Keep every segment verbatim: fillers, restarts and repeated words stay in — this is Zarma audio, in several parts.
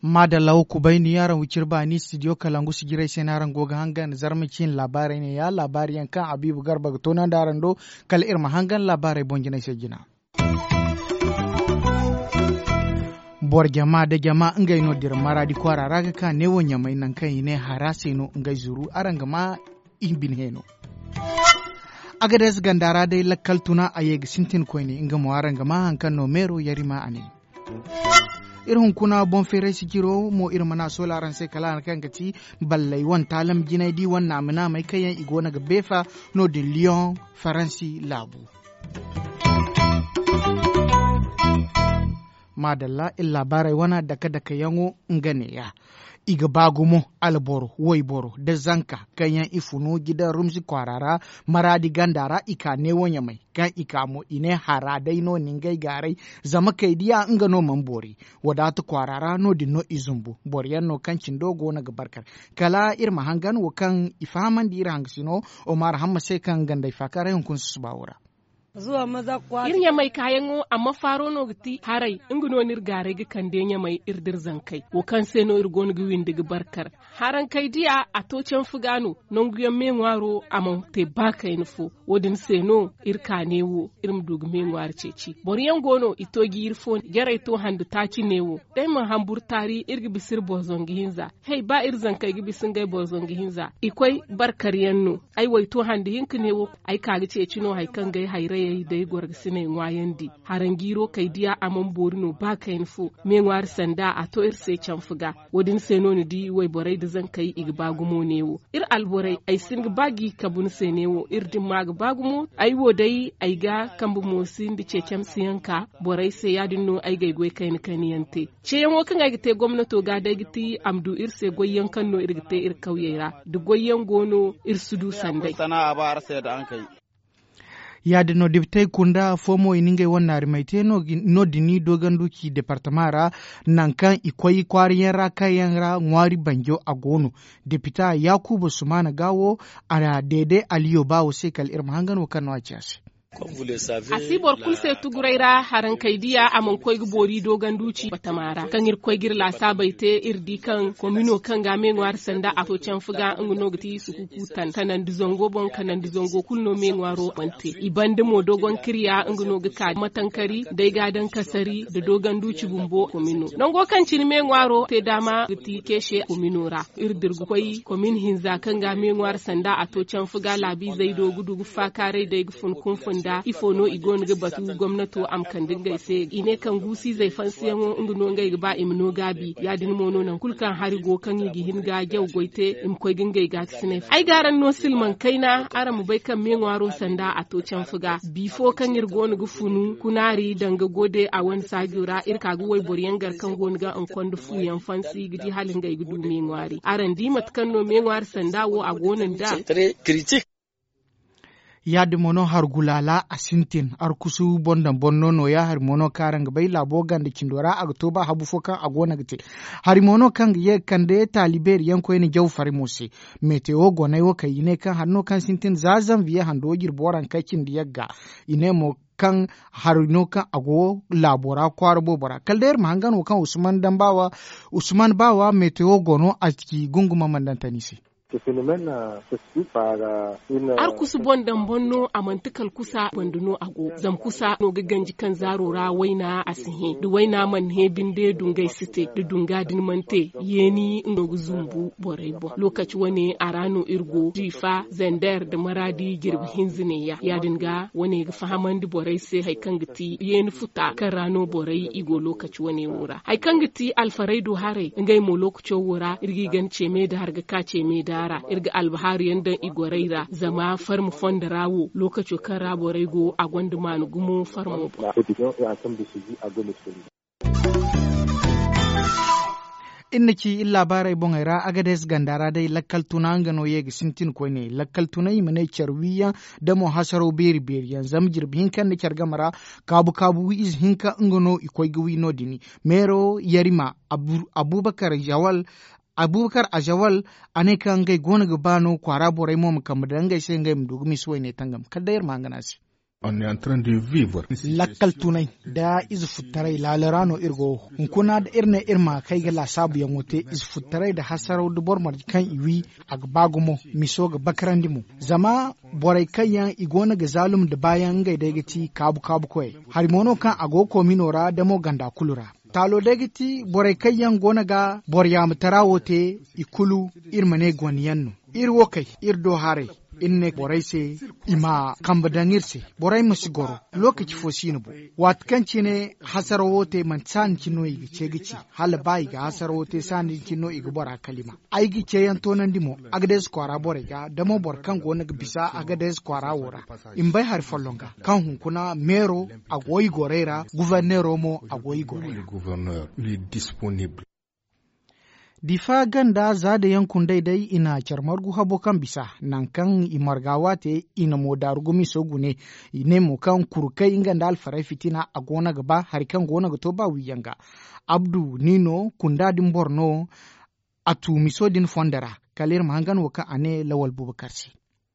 Maadalla wo kubayni araŋ wiciri baani studio kalangu sijirey se no araŋ go ga hangan zarma ciine laabaarey ne- ya laabaari yaŋ kaŋ habiibu garba ga toonandi araŋ do. Kala iri ma hangan laabaarey boŋ jinay se jina. Boro jama nda jama ngey no dira maraadi kwaara ra ga ka neewo ɲamay nangu kaŋ i ne hara se no ngey zuru araŋ ga ma i bine heeno. Agades ganda ra day lakkal tuna a ye ga sintin koyne nga mo araŋ ga ma hari kaŋ no meero yarima a ne. Iri hunkuna boŋ feeray sijiro mo iri mana soola araŋ se kala hari kaŋ ga ti balley wane taalam jinay di wane naama naamey kaŋ yaŋ i go no ga beefa no- din liyoŋ faransi laabu. Maadalla iri laabaarey wane dake dake yaŋo nga neeya. I ga ba gumo alboro wayboro nda zanka kaŋ yaŋ i funu jidan rumsi kwaara ra maraadi ganda ra i ka neewo ɲamay kaŋ i ka mo i ne hara day no ni ngey gaaray. Zama kay diya nga no mana boori wadaata kwaara ra no- din no i zumbu boro yaŋ no kaŋ cindo go no ga barkar. Kala iri ma hangan wo kaŋ i fahamandi iri hangasino omar hamma se kaŋ gandey faakaaray hunkuna susuba wo ra. Iri ɲamay kaayaŋo amma faaro no ga ti haray. Nga no no iri gaaray ga kande ɲamay iri da iri zankey wo kaŋ se no iri go no ga windi ga barkar. Harankey diya a to canfu ga no nanguyaŋ me ŋwaaro a mana te ba kayna fo. Wo- din se no iri ka neewo iri ma du ga me ŋwaari ceeci boro yaŋ go no i to jiiri fo jarey to hande taaci neewo. Day mana hamburu taari iri ga bisa iri boro zangu hinza. Hay ba iri zankey ga bisa ngey boro zangu hinza i koy barkar yaŋ no. Ay wo ay to hande hinka neewo ay ka ga ceeci no hari kaŋ ga ay hayrayey da ay gorgasiney ŋwaayandi. Haranjiiro kay diya a mana boori no ba kayna fo. Me ŋwaari sanda a to iri se canfu ga. Wo- din se no ni di wayborey nda zankey i ga ba gumo neewo. Iri alborey ay si hin ga ba ga i kabu ni se neewo iri dimma ga ba gumo. Ay wo day ay ga kambe moosi nda ceecamsiyaŋ ka borey se ya- din no ay ga ay goy kayna kayna yaŋ te. Ceeyaŋo kaŋ ay ga te gomnato ga day ga ti a ma du iri se goyyaŋ kaŋ no iri ga te iri kawyey ra. Da goyyaŋ go no iri si du sanday. Ya- din no depitey kunda fo mo i na ngey wane naarimey te no- din i doogandu ci departama ra. Nangu kaŋ i koy kwaara yaŋ ra kaŋ yaŋ ra ŋwaari banjo a go no. Depita yaakuba sumaana ga wo a deede aliyo ba wo se kala iri ma hangan wo kaŋ no a ci a se. A si boro kulu se tuguray ra harankey diya a mana koy ga boori doogandu ci batama ra kaŋ iri koy ga iri laasaabey te iri di kaŋ komino kaŋ ga me ŋwaari sanda a to canfu ga nga no ga ti sukuku tan kanandi zango boŋ kanandi zango kulu no me ŋwaaro mana te. I banda mo dogon kirya nga no ga ka matankari da ay ga a daŋ kasari nda doogandu ci bumbo komino nango kaŋ cine me ŋwaaro te daama ga ti keese komino ra. Iri dira ga koy komin hinza kaŋ ga me ŋwaari sanda a to canfu ga laabiizey do ga du ga faakaaray day ga fun kunfun da ifo no i go no ga batu gomnato a ma kande ngey se i ne kaŋ guusiizey fansiyaŋo nga no ngey ga ba i ma no gaabi ya- din mo no nangu kulu kaŋ hari go kaŋ i ga hin ga jaw goy te i ma koy ga ngey gaakasiney. Ay ga araŋ no silmaŋ kayna araŋ ma bay kaŋ me ŋwaaro sanda a to canfu ga bifo kaŋ iri go no ga funu kunaari danga gode a wane saajo ra iri ka ga wayboro yaŋ gar kaŋ go no ga nkondo fu yaŋ fansi ga di hala ngey ga du me ŋwaari araŋ di mate kaŋ no me ŋwaari sanda wo a go no nda. Ya- din mo no hargulaala a sintin arkusu boŋ daŋ boŋ no nooya hari mo no kaŋ araŋ ga bay laabo ganda cindo ra a ga to ba habu fo kaŋ a go no ga te. Hari mo no kaŋ ga ye ga kande taali beeri yaŋ koyne jaw fari mo se. Metewo goney wo kaŋ i ne kaŋ hari no kaŋ sintin za zanviye hando jirbi waranka cindi yagga. I ne mo kaŋ hari no kaŋ a go laabo ra kwaara boobo ra kala day iri ma hangan wo kaŋ usman dambawa usman bawa metewo go no a ci gunguma mandantani se. Arkusu boŋ daŋ boŋ no a manti kala kusa banda no a go zama kusa no ga ganji kaŋ zaaro ra wayna a si hẽ da wayna mana hẽ binde dungay si te da dunga din mana te. Yeeni no ga zumbu borey boŋ lokaci wane a ra no iri go jiifa zander da maraadi jirbi hinza neeya ya- din ga wane ga fahamandi borey se hari kaŋ ga ti yeeni futa kaŋ ra no borey i go lokaci wane wo ra hari kaŋ ga ti alfaray do haray ngey mo lokaco wo ra iri ga i gana ceeme da hari ga ka ceeme da ra iri ga albahaaru yaŋ daŋ i gorey ra zama farma fondo ra wo lokaco kaŋ ra borey go a gonda maana gumo farmo boŋ. Iri na ci iri laabaarey boŋey ra agades ganda ra day lakkal tuna nga no ye ga sintin koyne lakkal tuna i ma ne care wiyaŋ da mo hasaraw beeri beeri yaŋ zama jirbi hinka nda care game ra kaabu kaabu wi ize hinka nga no i koy ga wi no- din meero yarima abubakar jawal. Abubakar azawal, a ne kaŋ ngey go no ga ba no kwaara borey mo ma kambe daŋ ngey se ngey ma du ga misa wayne tangam kala day iri ma hangan a se. Lakkal tunay nda ize futtaray laala ra no iri go. Hunkuna da iri ne iri ma kay ga laasaabuyaŋo te, ize futtaray nda hasaraw da boro marje kaŋ i wi, a ga ba gumo. Miso ga bakarandi mo zama borey kaŋ yaŋ i go no ga zaalum nda baayaŋ ngey day ga ti kaabu kaabu koyey. Hari mo no kaŋ a go ga koomino ra damo ganda kulu ra. Taalo day ga ti borey kaŋ yaŋ go no ga boro yaamatara wo te, i kulu iri ma ne gone yaŋ no. Iri wo kay iri do haray, iri ne borey se i ma kambe daŋ iri se. Borey ma si goro. Lookaci fo si no boŋ. Waati kaŋ cine hasarawo te manti saani cine no i ga ce ga ci, hala ba i ga hasarawo te saani din cine no i ga bora kalima. Ay ga ceeyaŋ toonandi mo, agadees kwaara borey ga damo boro kaŋ go no ga bisa agadees kwaara wo ra. I ma bay hari folloŋ ga kaŋ hunkuna meero a go i gorey ra, guforneero mo a go i gorey ra. Difa ganda za da yaŋ kundey day i na care margu habo kaŋ bisa, nangu kaŋ i marga waate i na mo daaru gumiso gune. I ne mo kaŋ kurkey nga nda alfarey fitina a go no ga ba hari kaŋ go no ga to ba wiiyaŋ ga. Abdu ni no kunda din boro no. A tu miso din fondo ra. Kala iri ma hangan wo kaŋ a ne lawal bubakar se.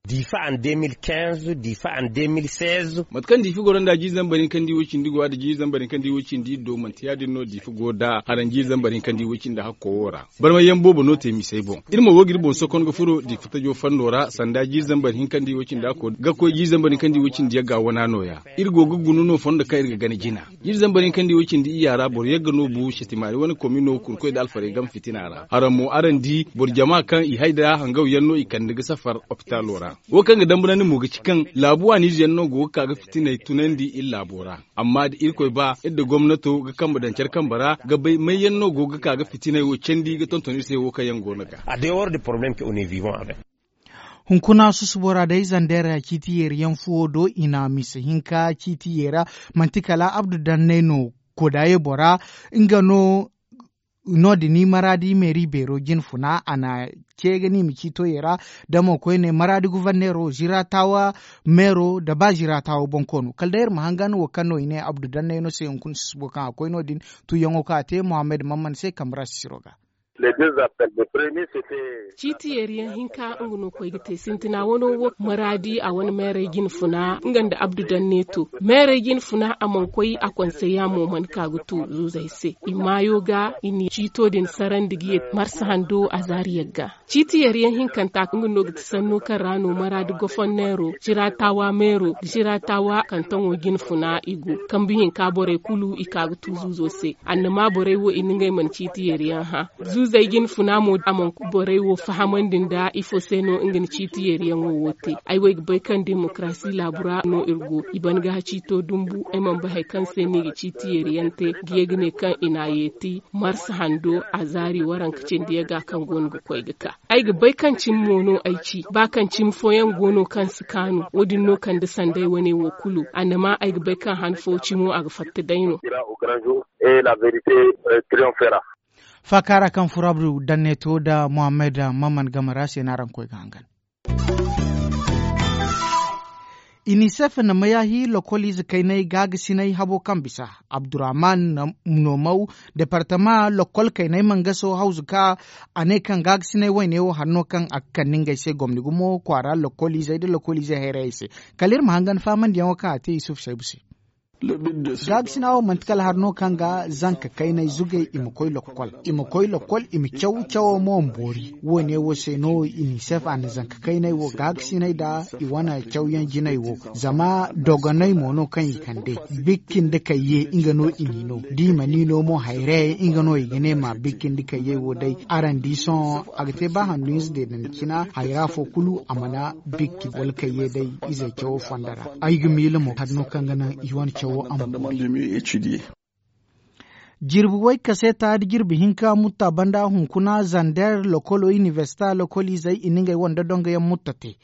Diifa an de mil kinze diifa an de mil seize. Mate kaŋ diifa goro nda jiiri zambar hinka nda i wo cindi go a da jiiri zambar hinka nda i wo cindi iddo manti ya- din no diifa go nda haraŋ jiiri zambar hinka nda i wo cindi hakko wo ra. Barmayyaŋ boobo no te misey boŋ. Iri mo wo ga iri boŋ sokon ga furo diifa tajo fondo ra sanda jiiri zambar hinka nda i wo cindi hakko ga koy jiiri zambar hinka nda i wo cindi yagga wana no- ya. Iri go ga guna no fondo kaŋ iri ga gana jina. Jiiri zambar hinka nda i wo cindi iyya ra boro yagga no bu setimaari wane komino kurkoy nda alfarey game fitina ra haraŋ mo araŋ di boro jama kaŋ i hay nda hangaw yaŋ no i kande ga safar opitalo ra. Wo kaŋ ga dambarandi mo ga ci kaŋ laabu waaniize yaŋ no go ga ka ga fitiney tunandi iri laabo ra. Amma da irkoy ba iri nda gomnato ga kambe daŋ care kambe ra ga bay may yaŋ no go ga ka ga fitiney wo candi ga tonton iri se wo kaŋ yaŋ go no ga. Hunkuna susubo ra day zandeera ciiti yeeri yaŋ fuwo do i na misa hinka ciiti yeera. Manti kala abdu dannay no. Kodaye bora nga no. No- din i maraadi meeri beero jine funa a na ce ga ni ma ciito yeera. Da mo koyne maraadi guforneero ziraatawa meero nda ba ziraatawa bonkoono kala day iri ma hangan wo kaŋ no i ne abdu dannay no se hunkuna susubo kaŋ a koy no- din. Tuuyaŋo kaŋ a te muhammad mamman se kambe ra sisiro ga. Ciiti yeeriyaŋ hinka nga no koy ga te sintina wano wo maraadi a wane meeray jine funa nga nda abdu danne to. Meeray jine funa a mana koy a konsey ya mo mana ka ga tu zuuzey se i maayo ga i na ciito din sarandi ga ye marsa hando a zaari yagga. Ciiti yeeriyaŋ hinkanta nga no ga ti sanno kaŋ ra no maraadi gofonneero ziraatawa meero ziraatawa kantaŋo jine funa i go. Kambe hinka borey kulu i ka ga tu zuuzo se annama borey wo i na ngey mana ciiti yeeriyaŋ hã. Zuuzey jine funa mo a mana borey wo fahamandi nda ifo se no nga na ciiti yeeriyaŋo wo te. Ay wo ay ga bay kaŋ demokarasi laabu ra no iri go i ban ga ciito dumbu ay mana bay hari kaŋ se no i ga ciiti yeeriyaŋ te ga ye ga ne kaŋ i na a yeeti marsa hando a zaari waranka cindi yaga kaŋ go no ga koy ga ka. Ay ga bay kaŋ cimi mo no ay ci ba kaŋ cimi fooyaŋ go no kaŋ si kaanu wo- din no kande sanday wane wo kulu annama ay ga bay kaŋ han fo cimo a ga fatta day no. Faaka ra kaŋ furo abdu danne to nda muhammad mamman game ra se no araŋ koy ga hangan. Inisef na mayaahi lokoliize kaynay gaagasinay habo kaŋ bisa abdurrahman. Nomaw departama lokol kaynay mangaso hawzu ka a ne kaŋ gaagasinay wayne wo hari no kaŋ a ga kande ngey se gomni gumo kwaara lokoliizey nda lokoliizey hayrayey se. Kala iri ma hangan faamandiyaŋo kaŋ a te yusuf saybu se. Gaabisina wo manti kala hari no kaŋ ga zanka kaynay zugay i ma koy lokkol i ma koy lokkol i ma caw cawo mo ma boori. Wo- ne wo se no inisef a na zanka kaynay wo gaabisinay nda i wane cawyaŋ jinay wo. Zama dogonay mo no kaŋ i kande bikki nda kayye nga no i n'i no da i mana i no mo hayray nga no i ga ne ma bikki nda kayyey wo day. Araŋ di sohõ a ga te ba handu hinza deedandi cina hayra fo kulu a mana bikki wala kayye day. Izey cawo fonda ra ay ga miila mo hari no kaŋ ga naŋ i wane cawo a ma boori. Jirbi way kaseeta da jirbi hinka mutta banda hunkuna zander lokolo inibersita lokoliizey i na ngey wande dongoyaŋ mutta te.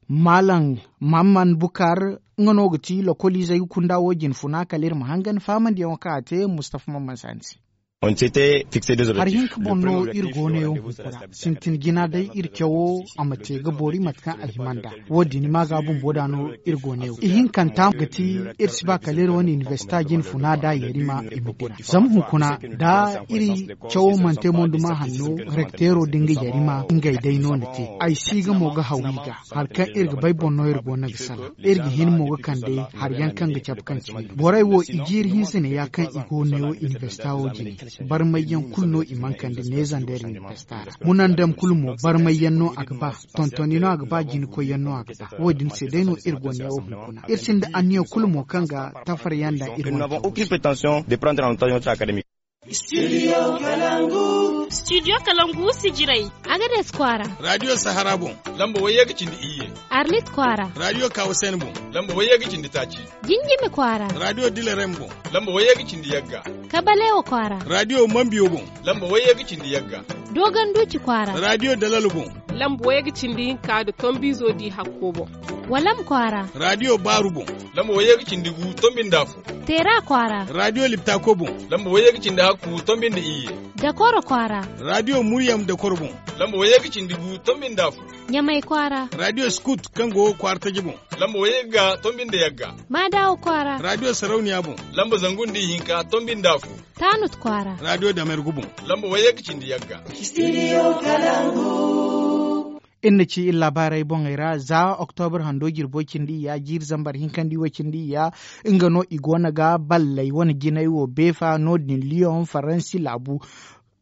Maalam mamman bukar nga no ga ti lokoliizey ga kunda wo jine funa kala iri ma hangan faamandiyaŋo kaŋ a te mustafa mamman saani se. Hari hinka boŋ no iri go no yaŋ hunkuna. Sintin jina day iri cawo a ma te ga boori mate kaŋ a hima nd'a. Wo- din ma ga bumbo da no iri go no yaŋ ihinkanta ga ti. Iri si ba kala iri wane inibersita jine funa da yarima i ma dira zama hunkuna da iri cawo mana te monduma hanno. Rekteero da nga yarima ngey day no na te. Ay si ga mo ga haw i ga hari kaŋ iri ga bay boŋ no iri go no ga salaŋ. Iri ga hin mo ga kande hari yaŋ kaŋ ga cabe kaŋ cine borey wo i jiiri hinsa ne ya kaŋ i go no yaŋ inibersita wo jine. Barmay yaŋ kulu no i mana kande neezandey ra inibersita ra. Munandam kulu mo barmay yaŋ no a ga ba. Tontoni no a ga ba jinakoy yaŋ no a ga ba. Wo- din se day no iri go no yaŋ wo hunkuna iri sinda anniya kulu mo kaŋ ga tafar yaŋ nda iri wane. Studio kalangu sijirey. Agades kwaara. Radio sahara boŋ. Lamba wayye ga cindi iyye. Arlit kwaara. Radio kawasen boŋ. Lamba wayye ga cindi taaci. Jinjimi kwaara. Radio dilerem boŋ. Lamba wayye ga cindi yagga. Kabalewa kwaara. Radio mambiyo boŋ. Lamba wayye ga cindi yagga. Dogon duci kwaara. Radio dalal boŋ. Lamba wayye ga cindi hinka da tombizo di hakko boŋ. Walam kwaara. Radio baaru boŋ. Lamba wayye ga cindi gu tombi nda fu. Teera kwaara. Radio liptako boŋ. Lamba wayye ga cindi hakku tombi nda iyye. Dakoro kwaara. Radio muryam dakoro boŋ. Lamba wayye ga cindi gu tombi nda fu. Ɲamay kwaara. Radio skut kaŋ go kwaara taji boŋ. Lamba wayye ga tombi nda yagga. Maadawo kwaara. Radio sarauniya boŋ. Lamba zangu nda ihinka tombi nda fu. Tanut kwaara. Radio damergu boŋ. Lamba wayye ga cindi yagga. Iri na ci iri laabaarey boŋey ra za oktobar hando jirbo cindi iyya jiiri zambar hinkandi way cindi iyya. Nga no i goono ga balley wane jinay wo beefa no- din liyoŋ faransi laabu.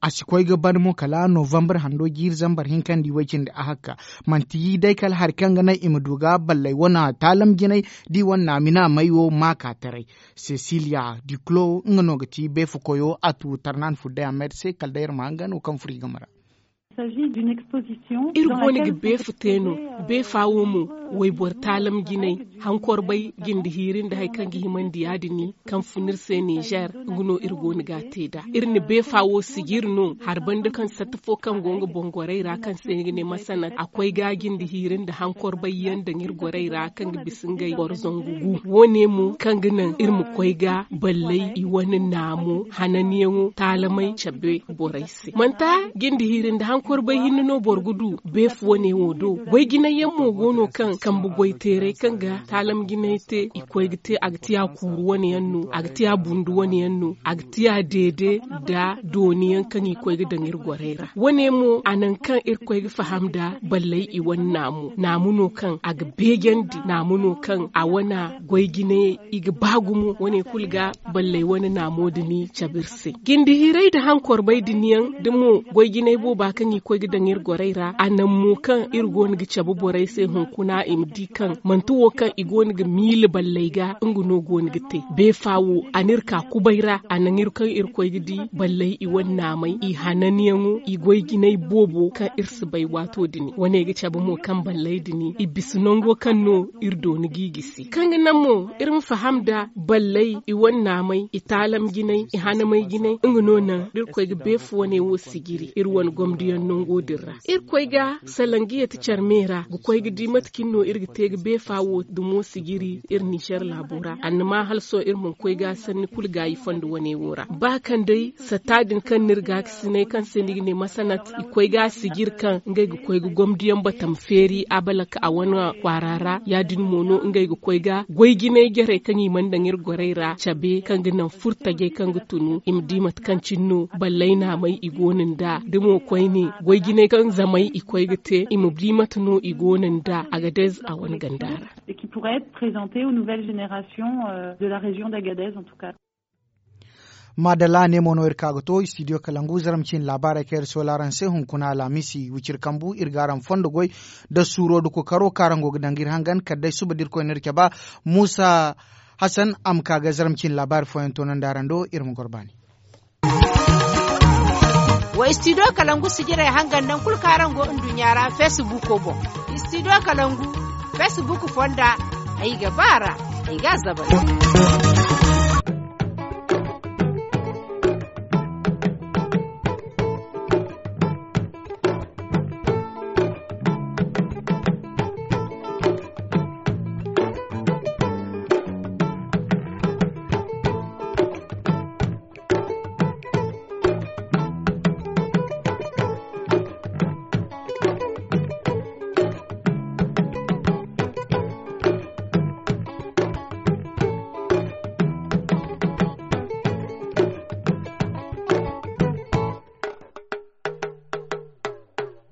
A si koy ga ban mo kala novambar hando jiiri zambar hinkandi way cindi a hakka. Manti day kala hari kaŋ ga naŋ i ma du ga balley wane taalam jinay da i wane naamina may wo ma ka taray. Cecilia duclo nga no ga ti beefa koyo a tu tarnan fudday a mer se kala day iri ma hanga no kaŋ furo i game ra. Iri go no ga beefa te no. Beefa wo mo wayboro taalam jinay hankorbay jinde hiiri nda hari kaŋ ga himandi ya- din kaŋ fun iri se nizer. Nga no iri go no ga a te nd'a iri na beefa wo sijiri no hari banda kaŋ satta fo kaŋ go nga boŋ gorey ra kaŋ se ni ga ne masanat a koy ga jinde hiiri nda hankorbay yaŋ daŋ iri gorey ra kaŋ ga bisa ngey boro zangu gu. Wo- ne mo kaŋ ga naŋ iri ma koy ga balley i wane naamo hananiyaŋo taalamey cabe borey se manta jinde hiiri nda hankorbay hinne no boro ga du. Beefa wane wo do goy jinay yaŋ mo go no kaŋ kambe goy teeray kaŋ ga taalam jinay te i koy ga te a ga ti a kuuru wane yaŋ no a ga ti a bundu wane yaŋ no a ga ti a deede nda dooni yaŋ kaŋ i koy ga daŋ iri gorey ra. Wane mo a naŋ kaŋ iri koy ga faham nda balley i wane naamu naamu no kaŋ a ga beejandi naamu no kaŋ a wane goy jinay i ga ba gumo wane kulu ga balley wane naamo din cabe iri se. Jinde hiiray nda hankorbay din yaŋ da mo goy jinay booba kaŋ i koy ga daŋ iri gorey ra a naŋ mo kaŋ iri go no ga cabe borey se hunkuna i ma di kaŋ manti wo kaŋ i go no ga miila balley ga nga no go no ga te. Beefa wo a n'iri ka kubay ra a naŋ iri kaŋ iri koy ga di balley i wane naamay i hananyaŋo i goy jinay boobo kaŋ iri si bay waato din wane ga cabe mo kaŋ balley din i bisa nango kaŋ no iri dooni g'i gisi kaŋ ga naŋ mo iri ma faham nda balley i wane naamay i taalam jinay i hanamay jinay nga no naŋ da iri koy ga beefa wane wo sijiri iri wane gomdiyaŋ nango din ra iri koy ga salangiya ti care me ra ga koy ga di mate kaŋ no iri ga te ga beefa wo dumo sijiri iri nizer laabo ra annama hala sohõ iri mana koy ga sanni kulu gaayi fondo wane wo ra ba kaŋ day satta din kaŋ n'iri gaakasinay kaŋ se ni ga ne masanat i koy ga a sijiri kaŋ ngey ga koy ga gomdiyaŋ batam feeri abalak a wane kwaara ra ya- din mo no ngey ga koy ga goy jinay jarey kaŋ i mana daŋ iri gorey ra cabe kaŋ ga naŋ furtajey kaŋ ga tunu i ma di mate kaŋ cine no balley naamey i go no nd'a da mo koyne goy jinay kaŋ zamey i koy ga te i ma di mate no i go no nd'a agadez a wane ganda ra. Et qui pourrait être présenté aux nouvelles générations de la région d'agadez en tout cas. Maadalla ne mo no iri ka ga to studio kalangu zaram cine laabaarey kaŋ iri soola araŋ se hunkuna alhamisi wiciri kambu iri ga araŋ fondo goy nda suuro nda kookaro kaŋ araŋ go ga daŋ ga iri hangan kala day suba da irkoy n'iri cabe muusa hasan a ma ka ga zaram cine laabaari fooyaŋ toonandi araŋ do iri ma goro baani. Wa studio kalangu sijirey hangan nangu kulu kaŋ araŋ go nduɲɲa ra feesibuuko boŋ. Studio kalangu feesibuuk fonda ay ga ba a ra ay ga a zabar.